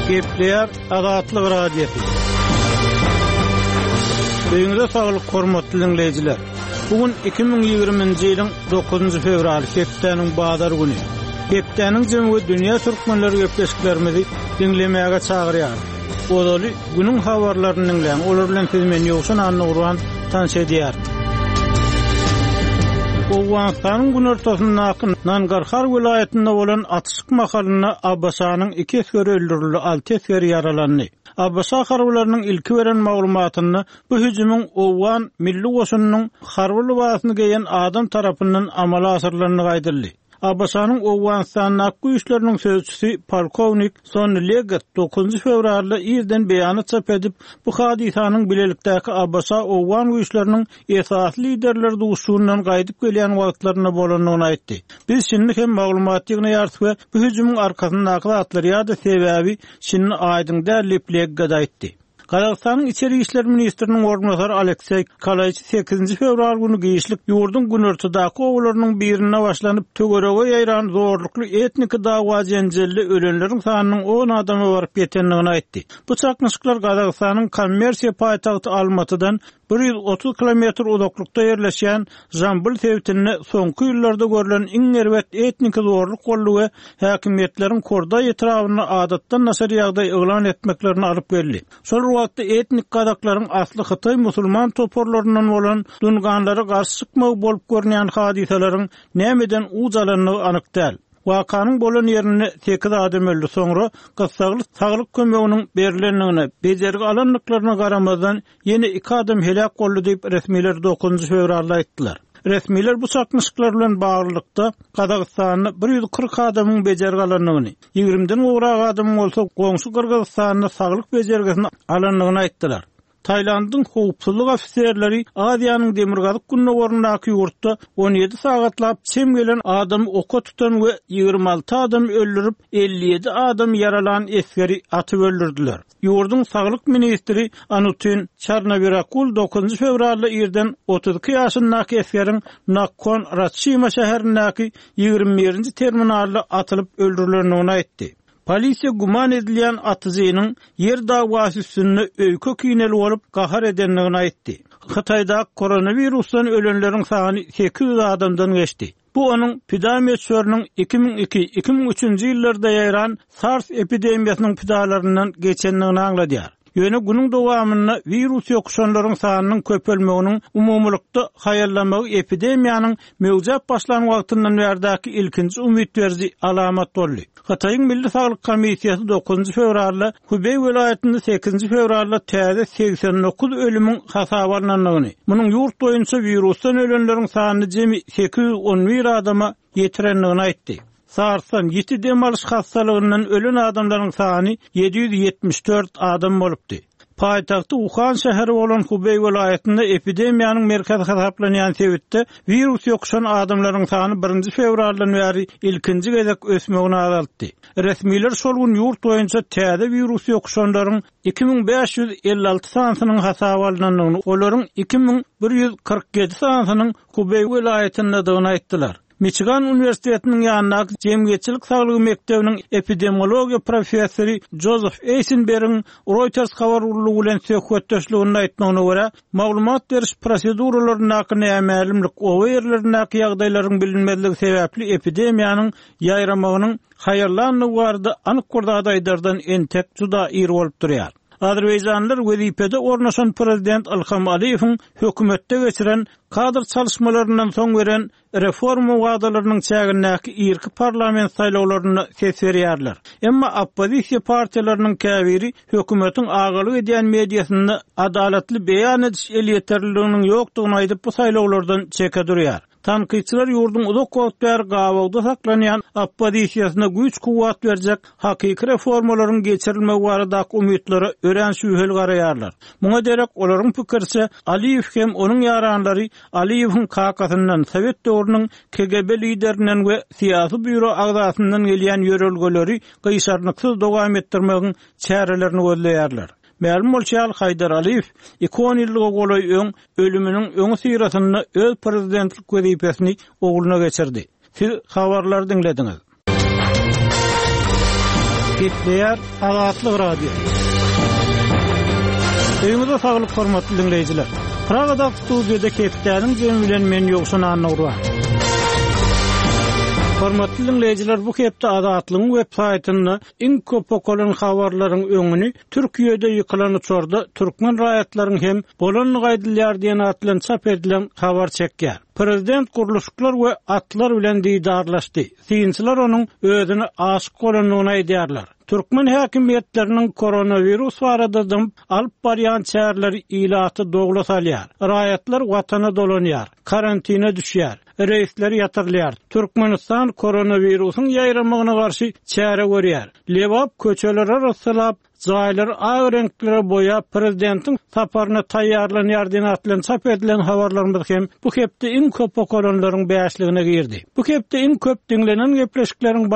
Gepleýär Azatlyk Radiosy. Öýüňize saglyk hormatly diňleýjiler. Bu gün 2020-nji ýylyň 9-njy fewraly, hepdäniň bazar güni. Hepdäniň jemi we dünýä türkmenleri gepleşiklerimizi diňlemäge çagyrýarys. Ozaly günüň habarlaryny diňläň, olar bilen sizi men Ýowşan Annagurban tanyş edýärin. Owganystanyň günortasyndaky Nangarhar welaýatynda bolan atyşyk mahalynda ABŞ-nyň iki esgeri öldürildi, alty esger ýaralandy. ABŞ harbylarynyň ilki beren maglumatynda bu hüjümiň owgan milli goşunynyň harby lybasyny geýen adam tarapyndan amala aşyrylandygy aýdyldy. ABŞ-nyň Owganystandaky güýçleriniň sözçüsi polkownik Sonni Leggett dokuzynjy fewralda irden beýanat çap edip, bu hadysanyň bilelikdäki ABŞ-owgan güýçleriniň esasy liderleri duşuşygyndan gaýdyp gelýän wagtlarynda bolandygyny aýtdy. Biz şindi hem maglumat ýygnaýarys we bu hüjümiň arkasyndaky zatlar ýa-da sebäbi şindi aýdyň däl diýip, Leggett aýtdy. Gazagystanyň içeri işler ministriniň orunbasary Alekseý Kalaýçi sekizinji fewral güni giçlik ýurduň günortadaky obalarynyň birinde başlanyp, töwerege ýaýran zorlukly etniki dawa-jenjelde ölenleriň sanynyň on adama baryp ýetendigini aýtdy. Bu çaknyşyklar Gazagystanyň kommersiýa paýtagty Almatydan 130 kilometr uzaklykda ýerleşýän Žambyl sebitinde soňky ýyllarda görlen iň erbet etniki zorluk boldy we häkimiýetleriň Kordaý etrabynda adatdan daşary ýagdaý yglan etmeklerine alyp geldi. Şol bir wagtda etnik gazaklaryň asly hytaý musulman toparlaryndan bolan dunganlara garşy çykmagy bolup görünýän hadysalaryň nämeden uç alandygy anyk däl. Wakanyň bolan ýerinde sekiz adam öldi, soňra gyssagly saglyk kömeginiň berlendigine, bejergi alandyklaryna garamazdan, Ýene iki adam heläk boldy diýip, resmiler dokuzynjy fewralda aýtdylar. Resmiler bu çaknyşyklar bilen baglylykda, Gazagystanda 140 adamyň bejergi alandygyny, ýigrimiden gowrak adamyň bolsa goňşy Gyrgyzystanda saglyk bejergisini alandygyny aýtdylar. Tailandyň howpsuzlyk ofiserleri Aziýanyň demirgazyk-gündogaryndaky ýurtda 17 sagatlap çem gelen adamy oka tutan we 26 adamy öldürip, 57 adamy ýaralan esgeri atyp öldürdiler. Ýurduň saglyk ministri Anutin Çarnawirakul dokuzynjy fewralda irden 32 ýaşyndaky esgeriň Nakhon Ratçima şäherindäki 21-nji terminalda atylyp öldürilendigini aýtdy. Polisiýa güman edilýän atyjynyň ýer dawasy üstünde öýke-kineli bolup, gahar edendigini aýtdy. Hytaýdaky koronawirusdan ölenleriň sany 800 adamdan geçdi. Bu onuň pida möçberiniň 2002, 2003-nji ýyllarda ýaýran SARS epidemiýasynyň pidalaryndan geçendigini aňladýar. Ýöne günüň dowamynda wirus ýokuşanlaryň sanynyň köpelmeginiň umumylykda haýallamagy epidemiýanyň möwjäp başlan wagtyndan bärdäki ilkinji umyt beriji alamat boldy. Hytaýyň Milli saglyk komissiýasy dokuzynjy fewralda Hubeý welaýatynda sekizinji fewralda täze 89 ölümiň hasaba alnandygyny, munuň ýurt boýunça wirusdan ölenleriň sanyny jemi 811 adama ýetirendigini aýtdy. SARS-dan, ýiti dem alyş hassalygyndan ölen adamlaryň sany 774 adam bolupdy. Paýtagty Uhan şäheri bolan Hubeý welaýatynda epidemiýanyň merkezi hasaplanýan sebitde wirus ýokuşan adamlaryň sany birinji fewraldan bäri ilkinji gezek ösmegini azaltdy. Resmiler şol gün ýurt boýunça täze wirus ýokuşanlaryň 2556 sanysynyň hasaba alnandygyny, olaryň 2147 sanysynyň Hubeý welaýatyndadygyny aýtdylar. Miçigan uniwersitetiniň ýanyndaky Jemgyýetçilik saglygy mekdebiniň epidemiologiýa professory Jozef Eýsenbergiň Reuters habar gullugy bilen söhbetdeşliginde aýtmagyna görä, maglumat beriş proseduralaryndaky nämälimlik, oba ýerlerindäki ýagdaýlaryň bilinmezligi sebäpli epidemiýanyň ýaýramagynyň haýallandygy barada anyk bir zat aýdardan entek juda ir bolup durýar. Azerbaýjanlylar wezipede ornaşan prezident Ilham Aliýewiň hökümetde geçiren kadr çalyşmalaryndan soň beren reforma wadalarynyň çägindäki irki parlament saýlawlarynda ses berýärler. Emma oppozisiýa partiýalarynyň käbiri hökümetiň agalyk edýän mediasynda adalatly beýan ediş elýeterliliginiň ýokdugyny aýdyp, bu saýlawlardan çeke durýar. Tankytçylar ýurduň uzak wagt bäri gabawda saklanýan oppozisiýasyna güýç-kuwwat berjek hakyky reformalaryň geçirilmegi baradaky umytlara örän şübheli garaýarlar. Muňa derek, olaryň pikiriçe, Aliýew hem onuň ýaranlary Aliýewiň kakasyndan, sowet döwrüniň KGB liderinden we syýasy býuro agzasyndan gelýän ýörelgeleri gyşarnyksyz dowam etdirmegiň çärelerini gözleýärler. Mälim bolşy ýaly, Haýdar Aliýew iki onýyllyga golaý öň, ölüminiň öňüsyrasynda öz prezidentlik wezipesini ogluna geçirdi. Siz habarlary diňlediňiz. Gepleýär Azatlyk Radiosy. Öýüňize saglyk hormatly diňleýjiler. Pragadaky studiýada hepdäniň jemi bilen men Ýowşan Annagurban. Hormatly diňleýjiler, bu hepde Azatlygyň web saýtynda iň köp okalan habarlaryň öňüni Türkiýede ýykylan uçarda türkmen raýatlaryň hem bolandygy aýdylýar diýen at bilen çap edilen habar çekýär. Prezident gurluşyklar we atlar bilen didarlaşdy. Synçylar onuň özüne aşyk bolandygyny aýdýarlar. Türkmen häkimiýetleriniň koronawirus barada dymyp alyp barýan çäreleri ilaty dowla salýar. Raýatlar watana dolanýar, karantine düşýär, reýsler ýatyrylýar. Türkmenistan koronawirusyň ýaýramagyna garşy çäre görýär. Lebap köçeleri arassalap, jaýlary ak reňklere boýap, prezidentiň saparyna taýýarlanýar diýen at bilen çap edilen habarlarymyz hem bu hepde iň köp okalanlaryň bäşligine girdi. Bu hepde iň köp diňlenen gepleşikleriň.